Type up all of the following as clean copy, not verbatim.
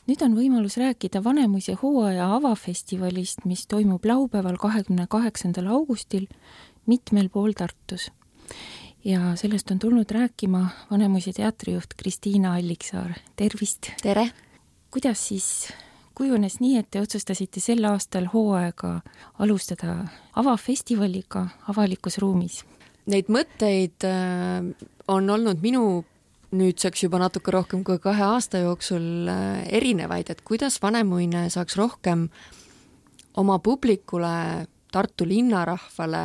Nüüd on võimalus rääkida Vanemuise hooaja avafestivalist, mis toimub laupäeval 28. augustil mitmel pool Tartus. Ja sellest on tulnud rääkima Vanemuise teatrijuht Kristiina Alliksaar. Tervist! Tere! Kuidas siis kujunes nii, et te otsustasite sel aastal hooaega alustada avafestivaliga avalikus ruumis? Neid mõtteid on olnud minu nüüdseks juba natuke rohkem kui 2 aasta jooksul erinevaid, et kuidas Vanemuine saaks rohkem oma publikule, Tartu linnarahvale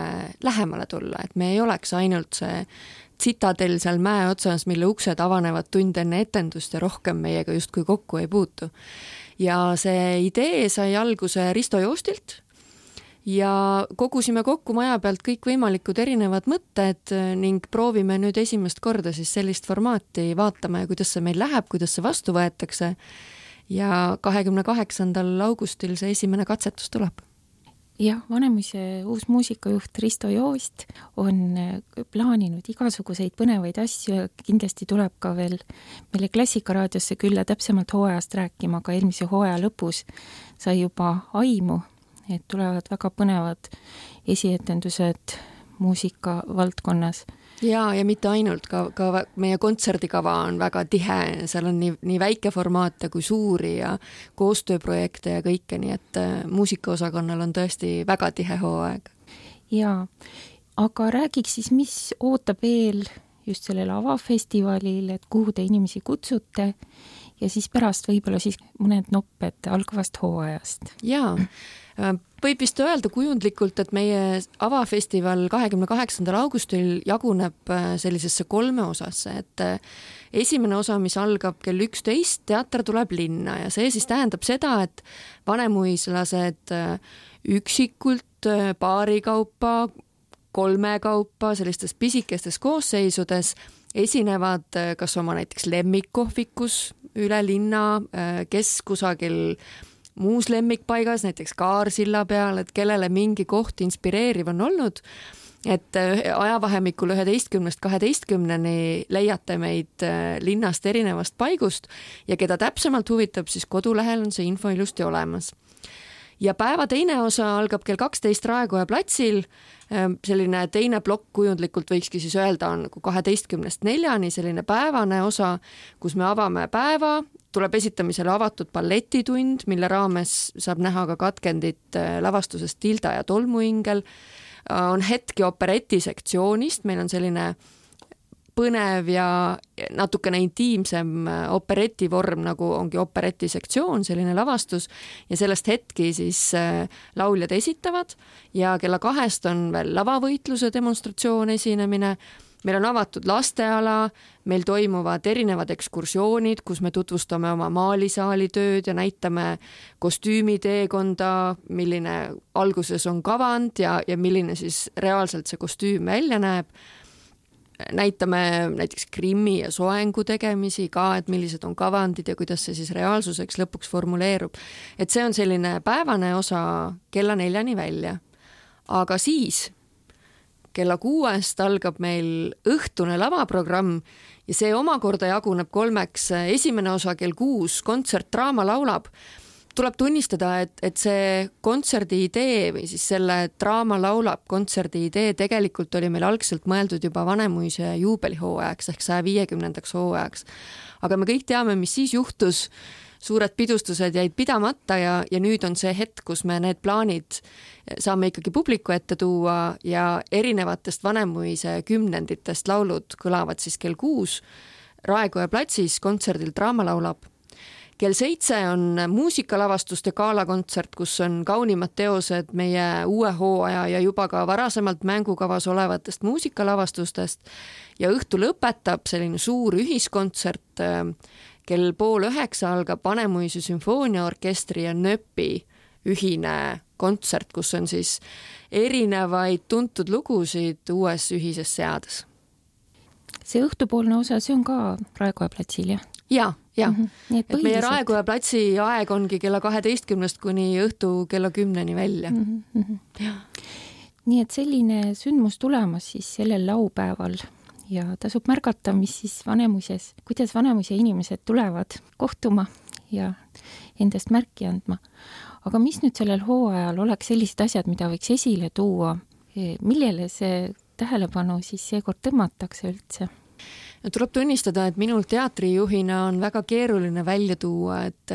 lähemale tulla, et me ei oleks ainult see tsitadel seal mäe otsas, mille uksed avanevad tund enne etendust ja rohkem meiega justkui kokku ei puutu. Ja see idee sai alguse Risto Joostilt ja kogusime kokku maja pealt kõik võimalikud erinevad mõtted ning proovime nüüd esimest korda siis sellist formaati vaatama ja kuidas see meil läheb, kuidas see vastu võetakse. Ja 28. augustil see esimene katsetus tuleb. Jah, Vanemuise uus muusikajuht Risto Joost on plaaninud igasuguseid põnevaid asju ja kindlasti tuleb ka veel meile Klassikaraadiosse külla täpsemalt hooajast rääkima, aga eelmise hooaja lõpus sai juba aimu, et tulevad väga põnevad esietendused muusika valdkonnas. Ja mitte ainult, ka meie kontserdikava on väga tihe, seal on nii väike formaate kui suuri ja koostööprojekte ja kõike, nii et muusikaosakonnal on tõesti väga tihe hooaeg. Jaa, aga räägiks siis, mis ootab veel just sellel avafestivalil, et kuhu te inimesi kutsute ja siis pärast võib-olla siis mõned nopped algavast hooajast. Jaa, võib vist öelda kujundlikult, et meie avafestival 28. augustil jaguneb sellisesse 3 osasse, et esimene osa, mis algab kell 11, teater tuleb linna ja see siis tähendab seda, et vanemuislased üksikult paarikaupa, 3 kaupa sellistes pisikestes koosseisudes esinevad kas oma näiteks lemmikkohvikus üle linna, kes kusagil muus lemmikpaigas, näiteks Kaarsilla peal, et kellele mingi koht inspireeriv on olnud, et ajavahemikul 11-12 leiate meid linnast erinevast paigust ja keda täpsemalt huvitab, siis kodulehel on see info ilusti olemas. Ja päeva teine osa algab kell 12 Raekoja platsil, selline teine plokk kujundlikult võikski siis öelda on 12-4, selline päevane osa, kus me avame päeva, tuleb esitamisele avatud balletitund, mille raames saab näha ka katkendit lavastusest Tilda ja tolmuingel, on hetki operetisektsioonist, meil on selline põnev ja natukene intiimsem operetivorm, nagu ongi operetisektsioon, selline lavastus ja sellest hetki siis lauljad esitavad ja kella 2 on veel lavavõitluse demonstratsioon esinemine. Meil on avatud lasteala, meil toimuvad erinevad ekskursioonid, kus me tutvustame oma maalisaali tööd ja näitame kostüümiteekonda, milline alguses on kavand ja milline siis reaalselt see kostüüm välja näeb. Näitame näiteks Krimmi ja soengu tegemisi ka, et millised on kavandid ja kuidas see siis reaalsuseks lõpuks formuleerub. Et see on selline päevane osa kella 4 välja. Aga siis kella 6 algab meil õhtune lavaprogramm ja see omakorda jaguneb 3. Esimene osa kell 6 kontsert Draama laulab. Tuleb tunnistada, et see kontserdi idee või siis selle Draama laulab kontserdi idee tegelikult oli meil algselt mõeldud juba Vanemuise juubelihooajaks ehk 150. hooajaks. Aga me kõik teame, mis siis juhtus. Suured pidustused jäid pidamata ja nüüd on see hetk, kus me need plaanid saame ikkagi publiku ette tuua ja erinevatest Vanemuise kümnenditest laulud kõlavad siis kell 6 Raekoja platsis kontserdil Draama laulab. Kell 7 on muusikalavastuste gaalakontsert, kus on kaunimad teosed meie uue hooaja ja juba ka varasemalt mängukavas olevatest muusikalavastustest ja õhtu lõpetab selline suur ühiskontsert. Kell 8:30 algab Vanemuise sümfooniaorkestri ja NÖPi ühine kontsert, kus on siis erinevaid tuntud lugusid uues ühises seades. See õhtupoolne osa, see on ka Raekoja platsil, jah? Ja. Et meie Raekoja platsi aeg ongi kella 12 kuni õhtu kella 10 välja. Ja. Nii et selline sündmus tulemas siis sellel laupäeval ja tasub märgata, mis siis Vanemuises, kuidas Vanemuise inimesed tulevad kohtuma ja endast märki andma. Aga mis nüüd sellel hooajal oleks sellised asjad, mida võiks esile tuua? Millele see tähelepanu siis seekord tõmmatakse üldse? Tuleb tunnistada, et minul teatrijuhina on väga keeruline välja tuua, et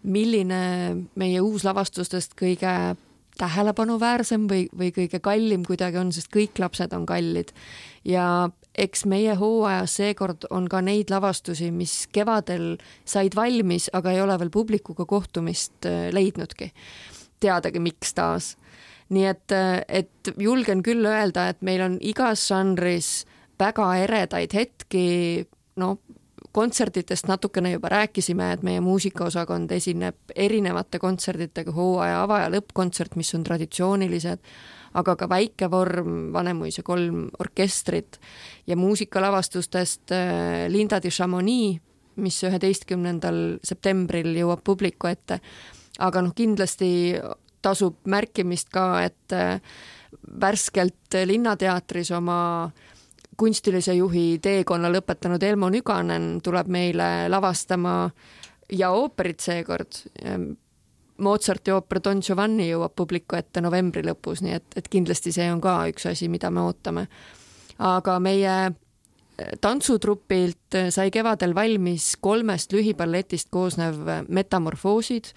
milline meie uuslavastustest kõige tähelepanuväärsem või kõige kallim kuidagi on, sest kõik lapsed on kallid. Ja eks meie hooajas seekord on ka neid lavastusi, mis kevadel said valmis, aga ei ole veel publikuga kohtumist leidnudki. Teadagi, miks taas. Nii et julgen küll öelda, et meil on igas žanris väga eredaid hetki, kontserditest natukene juba rääkisime, et meie muusikaosakond esineb erinevate kontserditega, hooaja ava- ja lõppkontsert, mis on traditsioonilised, aga ka Väikevorm, Vanemuise 3 orkestrit ja muusikalavastustest Linda de Chamonix, mis 11. septembril jõuab publiku ette. Aga kindlasti tasub märkimist ka, et värskelt Linnateatris oma kunstilise juhi teekonna lõpetanud Elmo Nüganen tuleb meile lavastama ja ooperit seekord. Mozarti ooper Don Giovanni jõuab publiku ette novembri lõpus, nii et kindlasti see on ka üks asi, mida me ootame. Aga meie tantsutrupilt sai kevadel valmis 3 lühiballetist koosnev Metamorfoosid,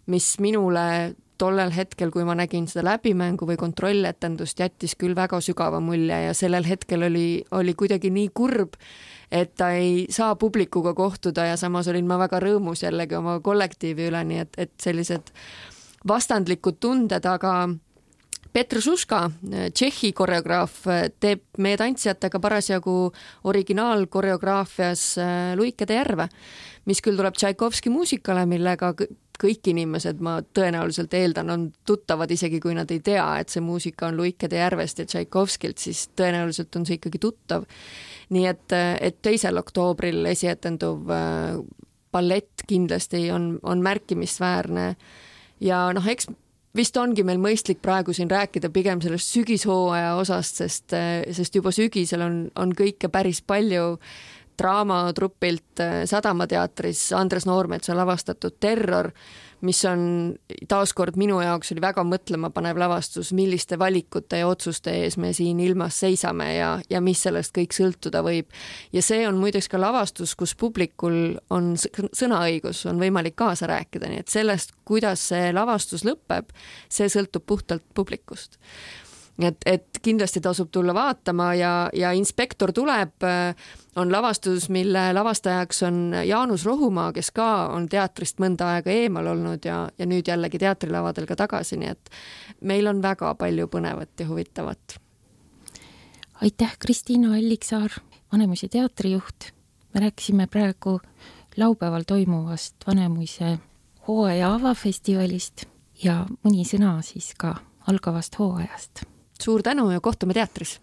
mis minule tollel hetkel, kui ma nägin seda läbimängu või kontrolletendust, jättis küll väga sügava mulje ja sellel hetkel oli kuidagi nii kurb, et ta ei saa publikuga kohtuda ja samas olin ma väga rõõmus jällegi oma kollektiivi üle, nii et sellised vastandlikud tunded, aga Petr Šuška, Tšehhi koreograaf, teeb meie tantsijatega parasjagu originaalkoreograafias Luikede järve, mis küll tuleb Tšaikovski muusikale, millega kõik inimesed, ma tõenäoliselt eeldan, on tuttavad, isegi kui nad ei tea, et see muusika on Luikede järvest ja Tšaikovskilt, siis tõenäoliselt on see ikkagi tuttav. Nii et 2. oktoobril esietenduv ballett kindlasti on märkimisväärne ja eks vist ongi meil mõistlik praegu siin rääkida pigem sellest sügishooaja osast, sest juba sügisel on kõike päris palju. Draamatrupilt Sadamateatris Andres Noormetsa lavastatud Terror, mis on taaskord minu jaoks oli väga mõtlemapanev lavastus, milliste valikute ja otsuste ees me siin ilmas seisame ja mis sellest kõik sõltuda võib. Ja see on muideks ka lavastus, kus publikul on sõnaõigus, on võimalik kaasa rääkida, nii et sellest, kuidas see lavastus lõpeb, see sõltub puhtalt publikust. Et kindlasti tasub tulla vaatama ja Inspektor tuleb on lavastus, mille lavastajaks on Jaanus Rohumaa, kes ka on teatrist mõnda aega eemal olnud ja nüüd jällegi teatrilavadel ka tagasi, nii et meil on väga palju põnevat ja huvitavat. Aitäh, Kristiina Alliksaar, Vanemuise teatrijuht. Me rääkisime praegu laupäeval toimuvast Vanemuise hooaja avafestivalist ja mõni sõna siis ka algavast hooajast. Suur tänu ja kohtume teatris!